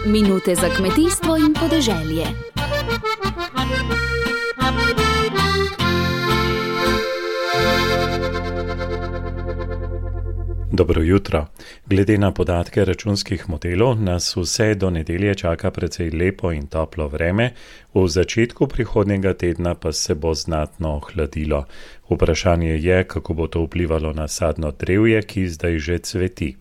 Minute za kmetijstvo in podeželje. Dobro jutro. Glede na podatke računskih modelov nas vse do nedelje čaka precej lepo in toplo vreme, v začetku prihodnjega tedna pa se bo znatno ohladilo. Vprašanje je, kako bo to vplivalo na sadno drevje, ki zdaj že cveti.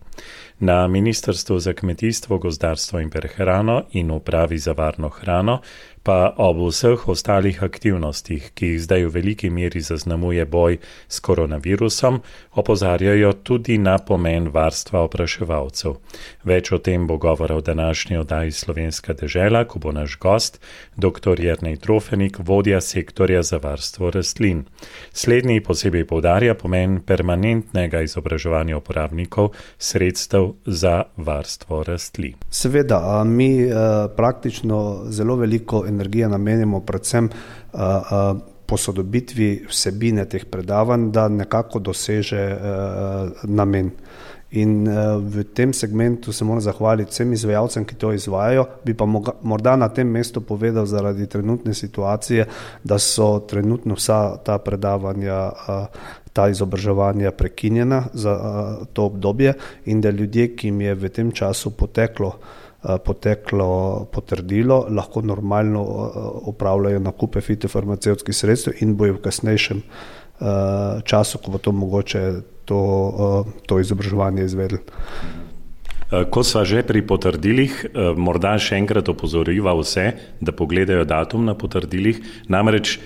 Na Ministrstvu za kmetijstvo, gozdarstvo in prehrano in Upravi za varno hrano pa ob vseh ostalih aktivnostih, ki jih zdaj v veliki meri zaznamuje boj s koronavirusom, opozarjajo tudi na pomen varstva opraševalcev. Več o tem bo govora v današnji oddaji Slovenska dežela, ko bo naš gost, dr. Jernej Trofenik, vodja sektorja za varstvo rastlin. Slednji posebej poudarja pomen permanentnega izobraževanja uporabnikov sredstev za varstvo rastlin. Seveda, mi praktično zelo veliko energije namenimo predvsem posodobitvi vsebine teh predavanj, da nekako doseže namen. In v tem segmentu se moram zahvaliti vsem izvajalcem, ki to izvajajo, bi pa morda na tem mestu povedal zaradi trenutne situacije, da so trenutno vsa ta predavanja, ta izobraževanja prekinjena za to obdobje in da ljudje, ki jim je v tem času poteklo potrdilo, lahko normalno opravljajo nakupe fitofarmacevtskih sredstev in bojo v kasnejšem času, ko bo to mogoče, to izobraževanje izvedli. Ko sva že pri potrdilih, morda še enkrat opozoriva vse, da pogledajo datum na potrdilih, namreč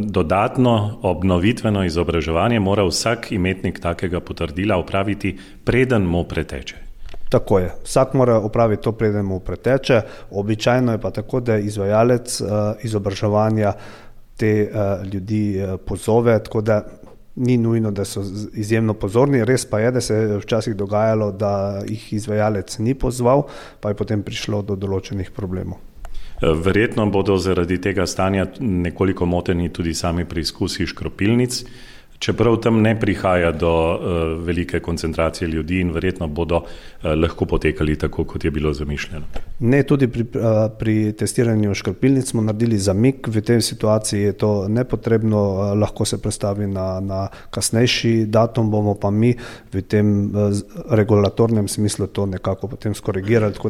dodatno obnovitveno izobraževanje mora vsak imetnik takega potrdila opraviti, preden mu preteče. Tako je. Vsak mora opraviti to, preden mu preteče. Običajno je pa tako, da izvajalec izobraževanja te ljudi pozove, tako da ni nujno, da so izjemno pozorni. Res pa je, da se je včasih dogajalo, da jih izvajalec ni pozval, pa je potem prišlo do določenih problemov. Verjetno bodo zaradi tega stanja nekoliko moteni tudi sami preizkusi škropilnic, čeprav tam ne prihaja do velike koncentracije ljudi in verjetno bodo lahko potekali tako, kot je bilo zamišljeno. Ne, tudi pri testiranju škropilnic smo naredili zamik, v tej situaciji je to nepotrebno, lahko se prestavi na kasnejši datum, bomo pa mi v tem regulatornem smislu to nekako potem skorigirali, tako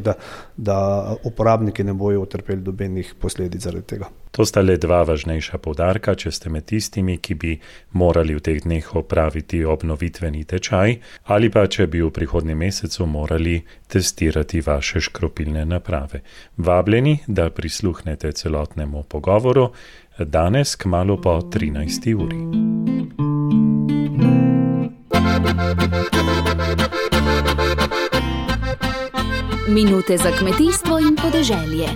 da uporabniki ne bojo utrpeli dobenih posledic zaradi tega. To sta le dva važnejša poudarka, če ste med tistimi, ki bi morali v teh dneh opraviti obnovitveni tečaj, ali pa če bi v prihodnjem mesecu morali testirati vaše škropilne naprave. Vabljeni, da prisluhnete celotnemu pogovoru danes kmalu po 13. uri. Minute za kmetijstvo in podeželje.